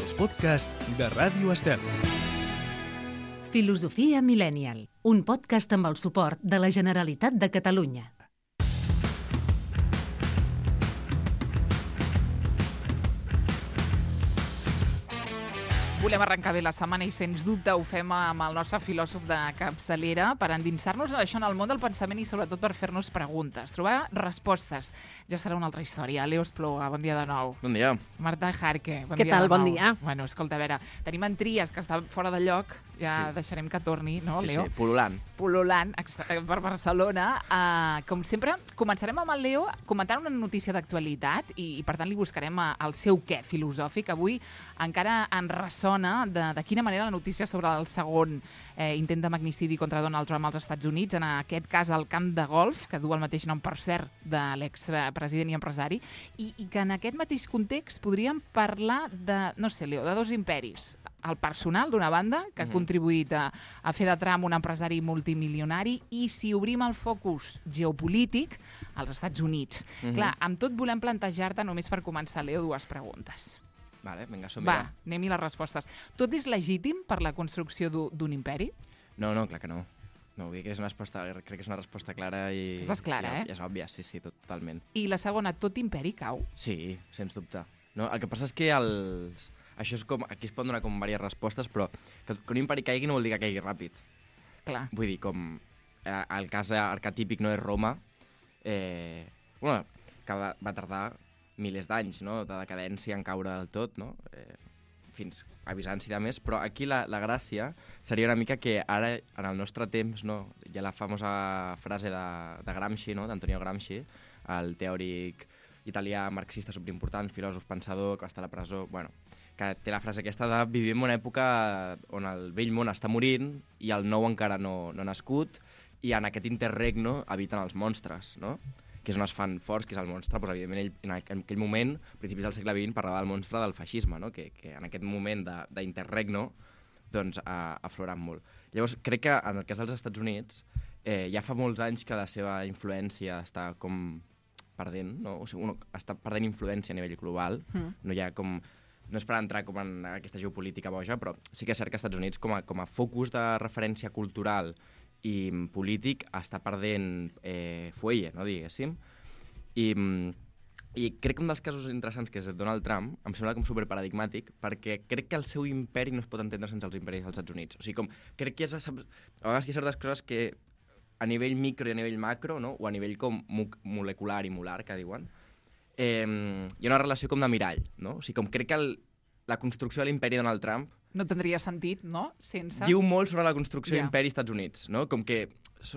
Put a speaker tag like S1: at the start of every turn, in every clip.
S1: els podcasts de Ràdio Estel.
S2: Filosofia Millennial, un podcast amb el suport de la Generalitat de Catalunya.
S3: Volem arrencar bé la setmana i, sens dubte, ho fem amb el nostre filòsof de capçalera per endinsar-nos això en el món del pensament i, sobretot, per fer-nos preguntes, trobar respostes. Ja serà una altra història. Leo Espluga, bon dia de nou.
S4: Bon dia.
S3: Marta Jarque, bon dia
S5: Què tal?
S3: de nou.
S5: Bon dia.
S3: Bueno, escolta, a veure, tenim en Trias, que està fora de lloc, ja deixarem que torni, no, Leo?
S4: Sí, pul·lulant.
S3: Pul·lulant per Barcelona. Com sempre, començarem amb el Leo comentant una notícia d'actualitat i, per tant, li buscarem el seu què filosòfic. Avui encara en ressona de quina manera la notícia sobre el segon intent de magnicidi contra Donald Trump als Estats Units, en aquest cas al camp de golf, que du el mateix nom, per cert, de l'expresident i empresari, i que en aquest mateix context podríem parlar de, no sé, Leo, de dos imperis. El personal, d'una banda, que ha contribuït a fer de Trump un empresari multimilionari, i si obrim el focus geopolític, als Estats Units. Clar, amb tot volem plantejar-te, només per començar, Leo, dues preguntes.
S4: Vale, vinga, som-hi.
S3: Va, anem-hi les respostes. Tot és legítim per la construcció d'un imperi?
S4: No, clar que no. No, vull dir que és una resposta, crec que és una resposta clara i...
S3: Estàs clara,
S4: I és òbvia, sí, totalment.
S3: I la segona, tot imperi cau?
S4: Sí, sens dubte. No, el que passa és que això és com... Aquí es poden donar com diverses respostes, però que un imperi caigui no vol dir que caigui ràpid.
S3: Clar.
S4: Vull dir, com el cas arquetípic no és Roma, bueno, que va tardar milers d'anys, no?, de decadència en caure del tot, no?, fins a Bizanci i més, però aquí la gràcia seria una mica que ara, en el nostre temps, no, hi ha la famosa frase de Gramsci, no?, d'Antonio Gramsci, el teòric italià marxista superimportant, filòsof, pensador, que va estar a la presó, bueno, que té la frase aquesta de vivim en una època on el vell món està morint i el nou encara no ha nascut, i en aquest interregno habiten els monstres, no?, que és on es fan forts, que és el monstre, doncs, evidentment, ell, en aquell moment, a principis del segle XX, parlava del monstre del feixisme, no?, que en aquest moment d'interregno doncs, ha aflorat molt. Llavors, crec que en el cas dels Estats Units ja fa molts anys que la seva influència està com perdent, no? O sigui, està perdent influència a nivell global, no hi ha com... No és per entrar com en aquesta geopolítica boja, però sí que és cert que als Estats Units, com a focus de referència cultural i polític, està perdent fuelle, no, diguéssim. I crec que un dels casos interessants, que és Donald Trump, em sembla com superparadigmàtic, perquè crec que el seu imperi no es pot entendre sense els imperis dels Estats Units. O sigui, com, crec que a vegades hi ha certes coses que a nivell micro i a nivell macro, no?, o a nivell com molecular i molar, que diuen, hi ha una relació com de mirall, no? O sigui, com crec que la construcció de l'imperi de Donald Trump
S3: no tindria sentit, no?, sense...
S4: Diu molt sobre la construcció de l'imperi als Estats Units, no? Com que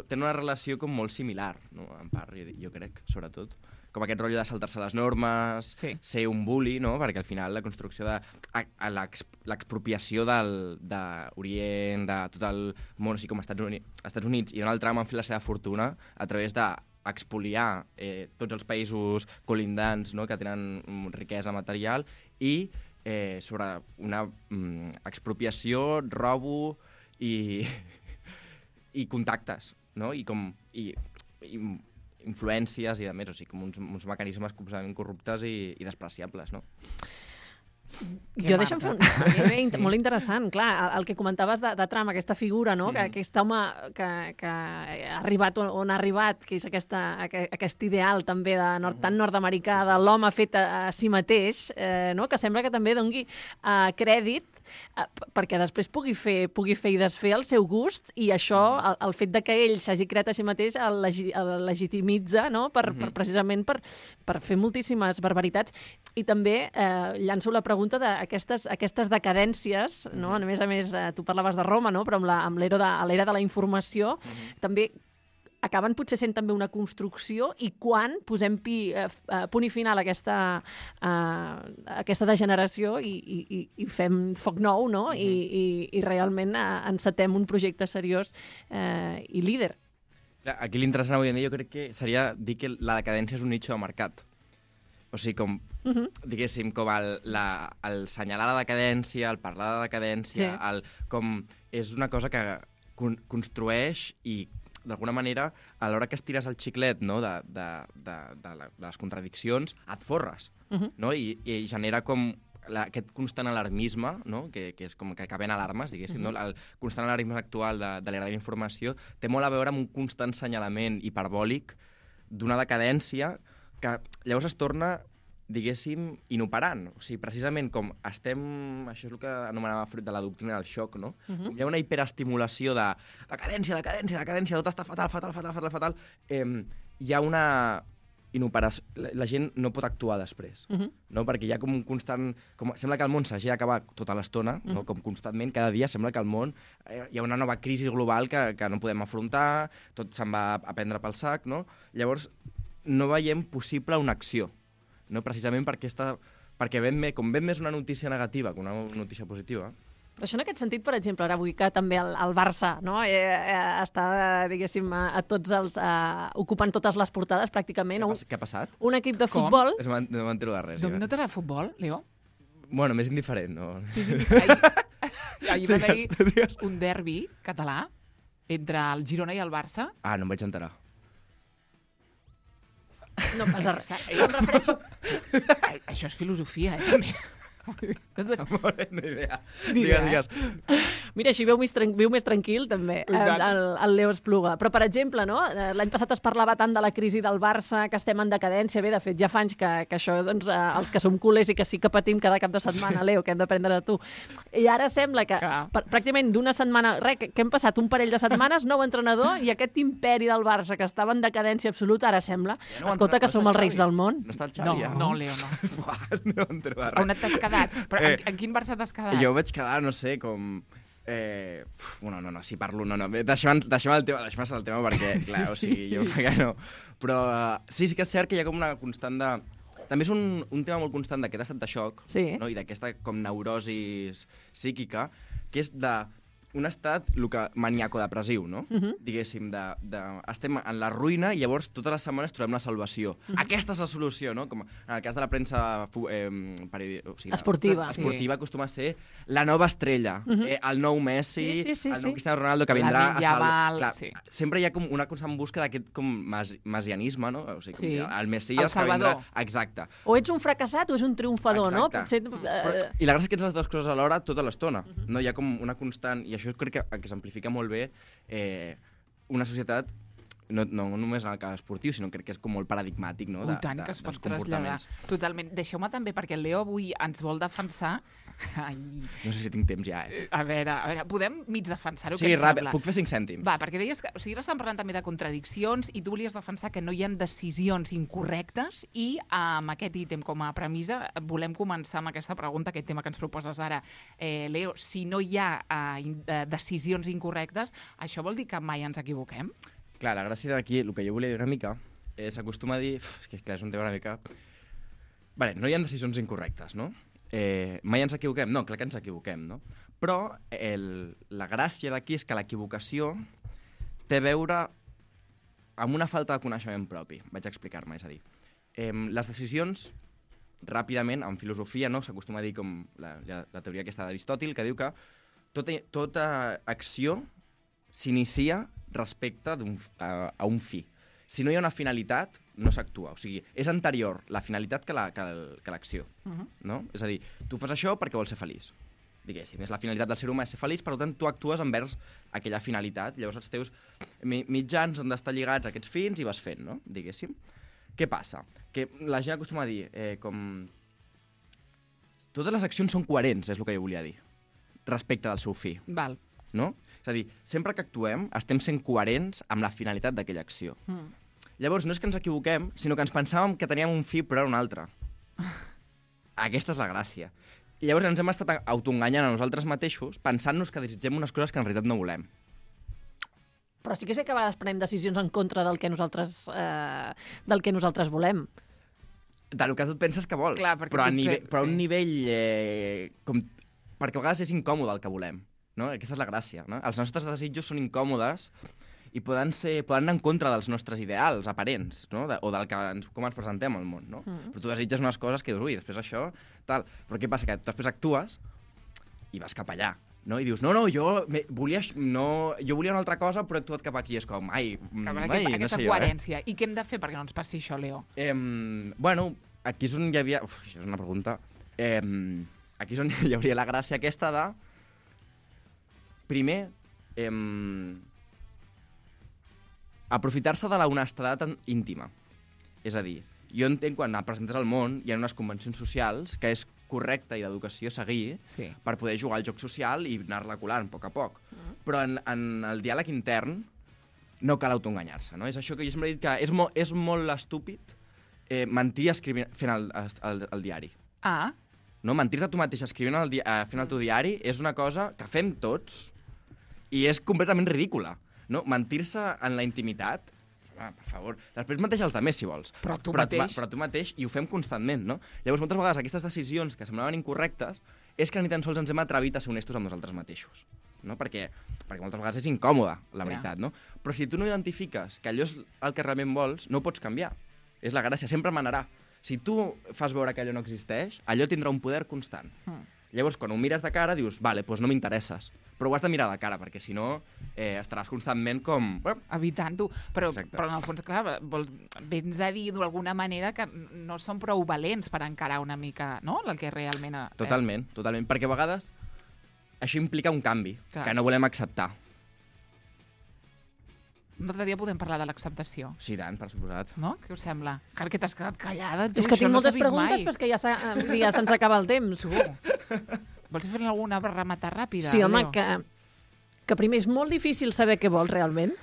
S4: tenen una relació com molt similar, no?, en part, jo crec, sobretot. Com aquest rotllo de saltar-se les normes, ser un bully, no?, perquè al final la construcció de... l'expropiació d'Orient, de tot el món, així com Estats Units i Donald Trump han fet la seva fortuna a través d'expoliar tots els països colindants, no?, que tenen riquesa material i sobre una expropiació, robo i contactes, no?, i influències i més, o sigui, com uns mecanismes completament corruptes i despreciables, no?
S5: Jo deixa'm fer molt interessant. Clar, el que comentaves de Trump, aquesta figura, no?, que aquest home que ha arribat on ha arribat, que és aquest ideal també tan nord-americà de l'home fet a si mateix, no?, que sembla que també doni crèdit perquè després pugui fer i desfer el seu gust, i això, el fet de que ell s'hagi creat a si mateix, el legitimitza, no?, precisament per fer moltíssimes barbaritats. I també llanço la pregunta d'aquestes decadències, no?, a més, tu parlaves de Roma, no?, però amb l'era de la informació, també acaben potser sent també una construcció, i quan posem punt i final a aquesta degeneració i fem foc nou, no?, i realment encetem un projecte seriós i líder.
S4: Aquí l'interessant avui en dia jo crec que seria dir que la decadència és un nicho de mercat. O sigui, com, diguéssim, com el senyalar la decadència, el parlar de decadència, com és una cosa que construeix i d'alguna manera, a l'hora que estires el xiclet, no, de les contradiccions, et forres, no? I genera com aquest constant alarmisme, no? que és com que acaben alarmes, diguéssim, no? El constant alarmisme actual de l'era de la informació té molt a veure amb un constant senyalament hiperbòlic d'una decadència que llavors es torna, diguéssim, inoperant. O sigui, precisament com estem... Això és el que anomenava fruit de la doctrina del xoc, no? Hi ha una hiperestimulació de decadència, tot està fatal. Hi ha una inoperació... La gent no pot actuar després, no? Perquè hi ha com un constant... Sembla que el món s'hagi d'acabar tota l'estona, no? Com constantment, cada dia sembla que el món... Hi ha una nova crisi global que no podem afrontar, tot se'n va a prendre pel sac, no? Llavors, no veiem possible una acció, no? Precisament perquè com ven més una notícia negativa que una notícia positiva.
S5: Però això en aquest sentit, per exemple, ara vull que també el Barça, no? Està, diguéssim, a tots els... ocupant totes les portades, pràcticament.
S4: Què ha passat?
S5: Un equip de futbol...
S4: No m'entero de res.
S3: No t'agrada futbol, Leo?
S4: Bueno, més indiferent, no?
S3: Ahir va haver-hi un derbi català entre el Girona i el Barça.
S4: Ah, no em vaig enterar.
S5: No passa res. Em refereixo...
S3: Això és filosofia, també.
S4: No idea. Digues.
S5: Mira, així viu més tranquil, també, el Leo Espluga. Però, per exemple, no? L'any passat es parlava tant de la crisi del Barça, que estem en decadència. Bé, de fet, ja fa anys que això, doncs, els que som culers i que sí que patim cada cap de setmana, Leo, que hem d'aprendre de tu. I ara sembla que pràcticament d'una setmana... que hem passat un parell de setmanes, nou entrenador, i aquest imperi del Barça, que estava en decadència absoluta, ara sembla, escolta, que som els reis del món.
S4: No està el Xavi,
S3: No, Leo, no.
S4: No entro de res.
S3: On t'has quedat? Però en quin Barça t'has quedat?
S4: Jo vaig quedar, no sé, com... No, si parlo... No, deixem el tema perquè, clar, o sigui, jo no... Però sí que és cert que hi ha com una constant de... També és un tema molt constant d'aquest estat de xoc, no? I d'aquesta com neurosis psíquica, que és un estat maniaco-depressiu, no? Diguéssim, estem en la ruïna i llavors totes les setmanes trobem la salvació. Aquesta és la solució, no? Com en el cas de la premsa
S5: esportiva.
S4: Esportiva acostuma a ser la nova estrella, el nou Messi, el nou Cristiano Ronaldo que vindrà a salvar... Sempre hi ha com una constant busca d'aquest com messianisme, no? O sigui, el Messias que vindrà... Exacte.
S5: O ets un fracassat o és un triomfador, no? Potser...
S4: I la gràcia és que ets les dues coses alhora tota l'estona. Hi ha com una constant... I això crec que s'amplifica molt bé una societat, no només en el cas esportiu, sinó crec que és com molt paradigmàtic, no?
S3: Tant que es pot traslladar. Totalment. Deixeu-me també, perquè el Leo avui ens vol defensar...
S4: No sé si tinc temps ja,
S3: A veure, podem mig defensar-ho,
S4: sí,
S3: què et sembla?
S4: Puc fer 5 cèntims.
S3: Va, perquè deies que... O sigui, ara estem parlant també de contradiccions i tu volies defensar que no hi ha decisions incorrectes i amb aquest ítem com a premissa volem començar amb aquesta pregunta, aquest tema que ens proposes ara. Leo, si no hi ha decisions incorrectes, això vol dir que mai ens equivoquem?
S4: Clar, la gràcia d'aquí, el que jo volia dir una mica, s'acostuma a dir... És que clar, és un tema una mica... Vale, no hi ha decisions incorrectes, no? Mai ens equivoquem? No, clar que ens equivoquem, no? Però la gràcia d'aquí és que l'equivocació té a veure amb una falta de coneixement propi. Vaig a explicar-me, és a dir, les decisions, ràpidament, en filosofia, no? S'acostuma a dir com la teoria aquesta d'Aristòtil, que diu que tota acció s'inicia respecte a un fi. Si no hi ha una finalitat, no s'actua. O sigui, és anterior la finalitat que l'acció. No? És a dir, tu fas això perquè vols ser feliç. Diguéssim, és la finalitat del ser humà és ser feliç, per tant, tu actues envers aquella finalitat. Llavors els teus mitjans han d'estar lligats a aquests fins i vas fent, no? Diguéssim. Què passa? Que la gent acostuma a dir totes les accions són coherents, és el que jo volia dir, respecte del seu fi.
S3: Val.
S4: No? És a dir, sempre que actuem estem sent coherents amb la finalitat d'aquella acció. Llavors, no és que ens equivoquem, sinó que ens pensàvem que teníem un fi però era un altre. Aquesta és la gràcia. I llavors ens hem estat autoenganyant a nosaltres mateixos pensant-nos que desitgem unes coses que en realitat no volem.
S5: Però sí que és bé que a vegades prenem decisions en contra del que nosaltres volem.
S4: Del que tu et penses que vols.
S3: Clar,
S4: però a un nivell... perquè a vegades és incòmode el que volem. No? Aquesta és la gràcia. No? Els nostres desitjos són incòmodes i poden anar en contra dels nostres ideals aparents, no? O com ens presentem al món. No? Però tu desitges unes coses que dius, ui, després això, tal. Però què passa? Que després actues i vas cap allà. No? I dius, jo volia una altra cosa, però he actuat cap aquí. És com,
S3: aquesta coherència. I què hem de fer perquè no ens passi això, Leo?
S4: Bueno, aquí és on hi havia... Això és una pregunta... aquí és on hi hauria la gràcia aquesta de... Primer, aprofitar-se de la honestedat íntima. És a dir, jo entenc quan et presentes al món hi ha unes convencions socials que és correcte i d'educació seguir per poder jugar al joc social i anar-la colant a poc a poc. Però en el diàleg intern no cal autoenganyar-se, no? És això que jo sempre he dit que és molt estúpid mentir fent el diari. No? Mentir-te tu mateix fent el teu diari és una cosa que fem tots i és completament ridícula. No? Mentir-se en la intimitat, per favor. Després menteix els altres, si vols.
S3: Però tu
S4: mateix, i ho fem constantment, no? Llavors, moltes vegades, aquestes decisions que semblaven incorrectes és que ni tan sols ens hem atrevit a ser honestos amb nosaltres mateixos. No? Perquè moltes vegades és incòmode, la veritat, no? Però si tu no identifiques que allò és el que realment vols, no ho pots canviar. És la gràcia, sempre manarà. Si tu fas veure que allò no existeix, allò tindrà un poder constant. Llavors, quan ho mires de cara, dius, vale, doncs no m'interesses. Però ho has de mirar de cara, perquè si no estaràs constantment com...
S3: Evitant-ho. Però en el fons, clar, vens a dir d'alguna manera que no són prou valents per encarar una mica, no?, el que realment...
S4: Totalment. Perquè a vegades això implica un canvi que no volem acceptar.
S5: Un
S3: altre dia podem parlar de l'acceptació.
S4: Sí, tant, per suposat.
S3: No? Què us sembla? Car que t'has quedat callada.
S5: És que tinc moltes preguntes, però és que ja se'ns acaba el temps.
S3: Vols fer alguna per rematar ràpida?
S5: Sí, home, que primer és molt difícil saber què vols realment.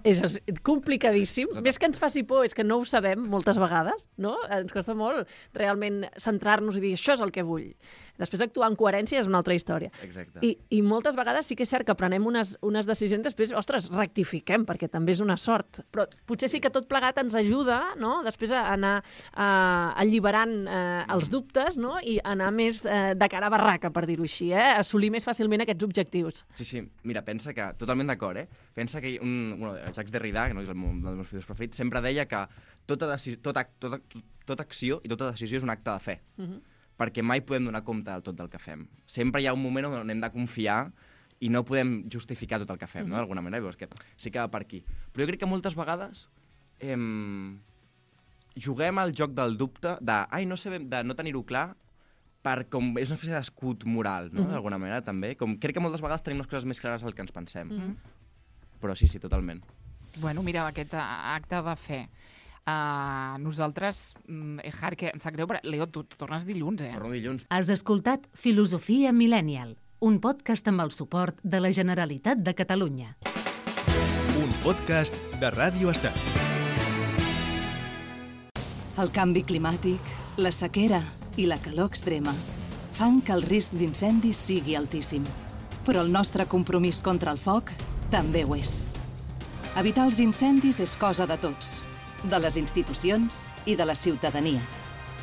S5: És complicadíssim. Més que ens faci por, és que no ho sabem moltes vegades, no? Ens costa molt realment centrar-nos i dir això és el que vull. Després actuar en coherència és una altra història.
S4: Exacte.
S5: I moltes vegades sí que és cert que prenem unes decisions, després, ostres, rectifiquem, perquè també és una sort. Però potser sí que tot plegat ens ajuda, no?, després a anar alliberant els dubtes, no?, i anar més de cara a barraca, per dir-ho així, assolir més fàcilment aquests objectius.
S4: Sí. Mira, pensa que, totalment d'acord, pensa que Jacques Derrida, que no és un dels meus filòsofs preferits, sempre deia que tota acció i tota decisió és un acte de fe. Perquè mai podem donar compte del tot del que fem. Sempre hi ha un moment on hem de confiar i no podem justificar tot el que fem, no?, d'alguna manera. Llavors, que sí que va per aquí. Però jo crec que moltes vegades juguem al joc del dubte de no tenir-ho clar, com és una espècie d'escut moral, no?, d'alguna manera, també. Crec que moltes vegades tenim les coses més clares del que ens pensem. Però sí, totalment.
S3: Bueno, mira, aquest acte de fe. Nosaltres, que em sap greu, però Leo, tu tornes dilluns,
S4: Torno dilluns.
S2: Has escoltat Filosofia Millennial, un podcast amb el suport de la Generalitat de Catalunya.
S1: Un podcast de Ràdio Estel.
S6: El canvi climàtic, la sequera i la calor extrema fan que el risc d'incendis sigui altíssim. Però el nostre compromís contra el foc també ho és. Evitar els incendis és cosa de tots, de les institucions i de la ciutadania.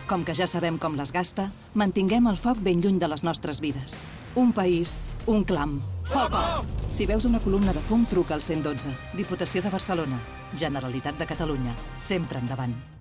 S6: Com que ja sabem com les gasta, mantinguem el foc ben lluny de les nostres vides. Un país, un clam. Foc off! Si veus una columna de fum, truca al 112. Diputació de Barcelona. Generalitat de Catalunya. Sempre endavant.